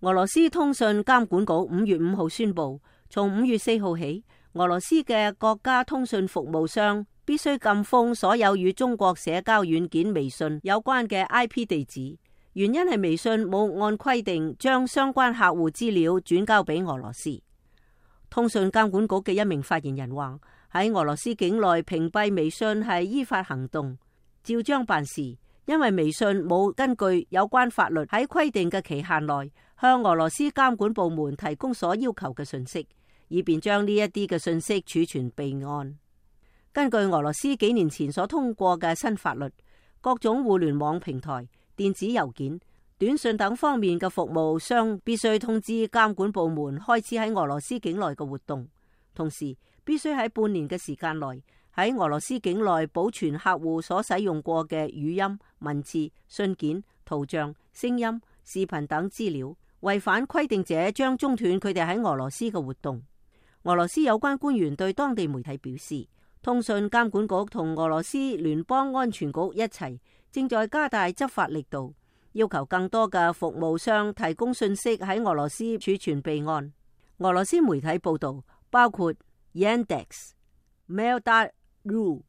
俄羅斯通訊監管局5月5號宣布，從5月4號起，俄羅斯嘅國家通訊服務商必須禁封所有與中國社交軟件微信有關嘅 IP 地址。原因係微信冇按規定將相關客戶資料轉交俾俄羅斯。通訊監管局嘅一名發言人話：喺俄羅斯境內屏蔽微信係依法行動，照章辦事，因為微信冇根據有關法律喺規定嘅期限內向俄羅斯監管部門提供所要求嘅信息，以便將呢一啲嘅信息儲存備案。根據俄羅斯幾年前所通過嘅新法律，各種互聯網平台、電子郵件、短信等方面嘅服務商必須通知監管部門開始喺俄羅斯境內嘅活動，同時必須喺半年嘅時間內喺俄羅斯境內保存客戶所使用過嘅語音、文字、信件、圖像、聲音、視頻等資料。違反規定者將中斷佢哋喺俄羅斯嘅活動。俄羅斯有關官員對當地媒體表示，通訊監管局同俄羅斯聯邦安全局一齊正在加大執法力度，要求更多嘅服務商提供信息喺俄羅斯儲存備案。俄羅斯媒體報道，包括 Yandex、Mail.ru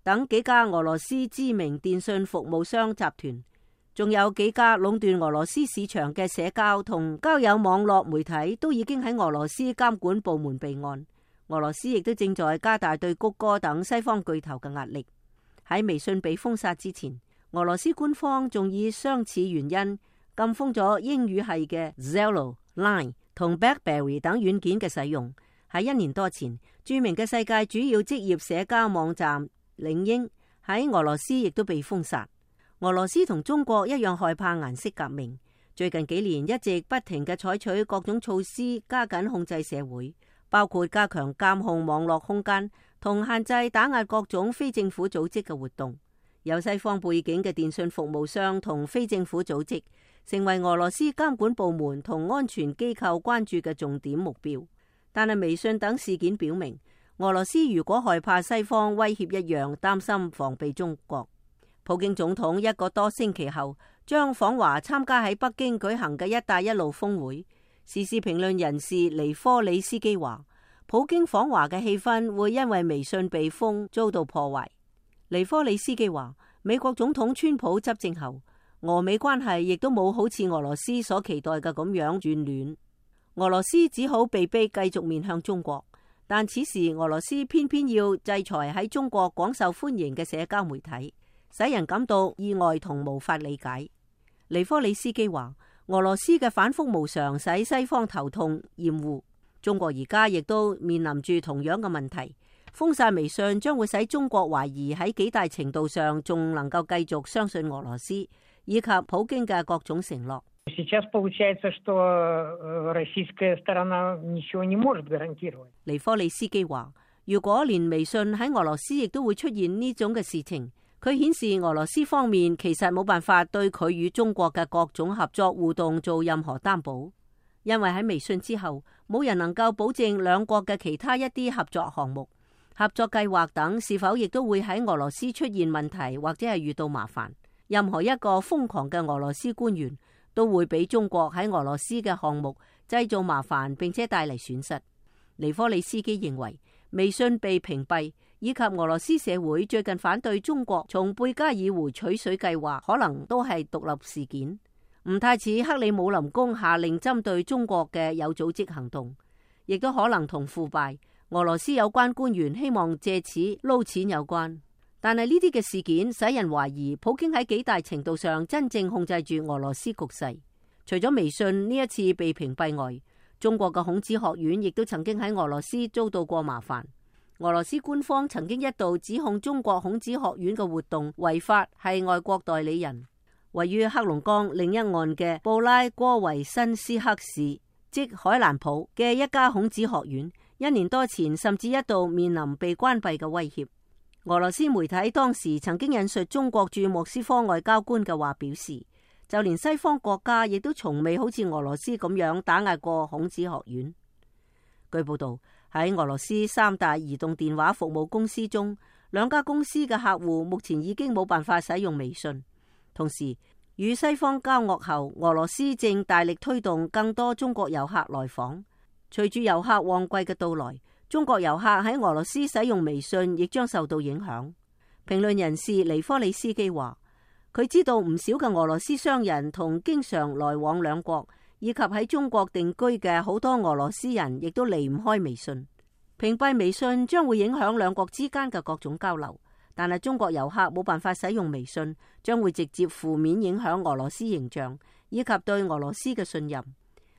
等幾家俄羅斯知名電信服務商集團，仲有幾家壟斷俄羅斯市場嘅社交同交友網絡媒體都已經喺俄羅斯監管部門備案。俄羅斯亦都正在加大對谷歌等西方巨頭嘅壓力。喺微信被封殺之前，俄羅斯官方仲以相似原因禁封咗英語系嘅 Zello、Line 同 BlackBerry 等軟件嘅使用。喺1年多前，著名嘅世界主要職業社交網站領英喺俄羅斯亦都被封殺。俄羅斯同中國一樣害怕顏色革命，最近幾年一直不停嘅採取各種措施加緊控制社會，包括加強監控網絡空間同限制打壓各種非政府組織嘅活動。有西方背景嘅電信服務商同非政府組織成為俄羅斯監管部門同安全機構關注嘅重點目標。但係微信等事件表明，俄羅斯如果害怕西方威脅一樣，擔心防備中國。普京總統1個多星期後將訪華參加喺北京舉行嘅一帶一路峰會。時事評論人士尼科里斯基話，普京訪華嘅氣氛會因為微信被封遭到破壞。尼科里斯基話，美國總統川普執政後，俄美關係亦都冇好似俄羅斯所期待嘅咁樣轉暖。俄羅斯只好被逼繼續面向中國，但此時俄羅斯偏偏要制裁喺中國廣受歡迎嘅社交媒體，使人感到意外同無法理解。尼科里斯基話，俄羅斯嘅反覆無常使西方頭痛厭惡，中國而家亦都面臨住同樣嘅問題。封殺微信將會使中國懷疑喺幾大程度上仲能夠繼續相信俄羅斯以及普京嘅各種承諾。尼科里斯基話，如果連微信喺俄羅斯亦都會出現呢種嘅事情，佢顯示俄羅斯方面其實冇辦法對佢與中國嘅各種合作互動做任何擔保，因為喺微信之後，冇人能夠保證兩國嘅其他一啲合作項目、合作計劃等是否亦都會喺俄羅斯出現問題或者係遇到麻煩。任何一個瘋狂嘅俄羅斯官員都會俾中國喺俄羅斯嘅項目製造麻煩，並且帶嚟損失。尼科里斯基認為，微信被屏蔽以及俄羅斯社會最近反對中國從貝加爾湖取水計劃，可能都係獨立事件，唔太似克里姆林宮下令針對中國嘅有組織行動，亦都可能同腐敗俄羅斯有關官員希望借此撈錢有關。但係呢啲嘅事件使人懷疑普京喺幾大程度上真正控制住俄羅斯局勢。除咗微信呢一次被屏蔽外，中國嘅孔子學院亦都曾經喺俄羅斯遭到過麻煩。俄羅斯官方曾經一度指控中國孔子學院嘅活動違法，係外國代理人。位於黑龍江另一岸嘅布拉戈維申斯克市，即海蘭普嘅一家孔子學院，1年多前甚至一度面臨被關閉嘅威脅。俄羅斯媒體當時曾經引述中國駐莫斯科外交官嘅話表示，就連西方國家亦都從未好似俄羅斯咁樣打壓過孔子學院。據報道，喺俄羅斯3大移動電話服務公司中，2家公司嘅客戶目前已經冇辦法使用微信。同時，與西方交惡後，俄羅斯正大力推動更多中國遊客來訪。隨住遊客旺季嘅到來，中國遊客喺俄羅斯使用微信亦將受到影響。評論人士尼科里斯基話，佢知道唔少嘅俄羅斯商人同經常來往兩國，以及喺中國定居嘅好多俄羅斯人，亦都離唔開微信。屏蔽微信將會影響兩國之間嘅各種交流。但係中國遊客冇辦法使用微信，將會直接負面影響俄羅斯形象以及對俄羅斯嘅信任。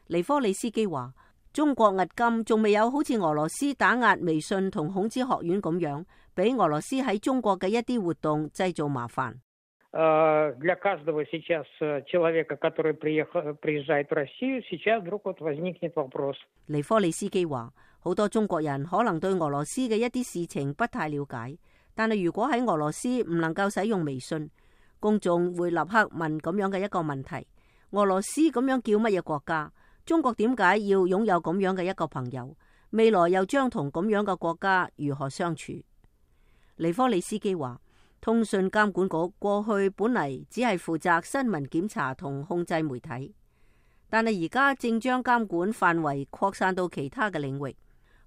尼科里斯基話，中國迄今仲未有好似俄羅斯打壓微信同孔子學院咁樣，俾俄羅斯喺中國嘅一啲活動製造麻煩。для каждого сейчас человека, который приезжает в Россию, сейчас вдруг вот возникнет вопрос。尼科里斯基話，好多中國人可能對俄羅斯嘅一啲事情不太了解。但係如果喺俄羅斯唔能夠使用微信，公眾會立刻問咁樣嘅一個問題：俄羅斯咁樣叫乜嘢國家？中國點解要擁有咁樣嘅一個朋友？未來又將同咁樣嘅國家如何相處？尼科里斯基話，通訊監管局過去本嚟只係負責新聞檢查同控制媒體，但係而家正將監管範圍擴散到其他嘅領域。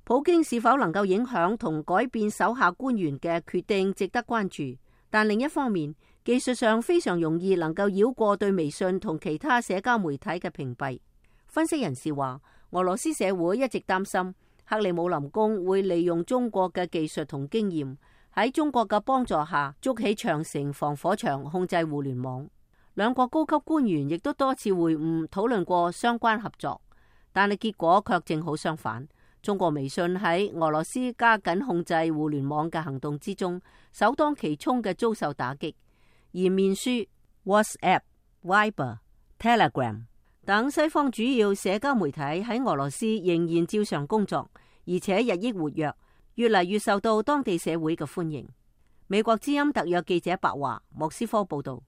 普京是否能夠影響同改變手下官員嘅決定，值得關注。但另一方面，技術上非常容易能夠繞過對微信同其他社交媒體嘅屏蔽。分析人士話，俄羅斯社會一直擔心克里姆林宮會利用中國嘅技術同經驗，喺中國嘅幫助下築起長城防火牆，控制互聯網。兩國高級官員亦都多次會晤討論過相關合作，但係結果卻正好相反。中國微信喺俄羅斯加緊控制互聯網嘅行動之中，首當其衝嘅遭受打擊。而面書、WhatsApp、Viber、Telegram 等西方主要社交媒體喺俄羅斯仍然照常工作，而且日益活躍，越嚟越受到當地社會嘅歡迎。美國之音特約記者白華，莫斯科報道。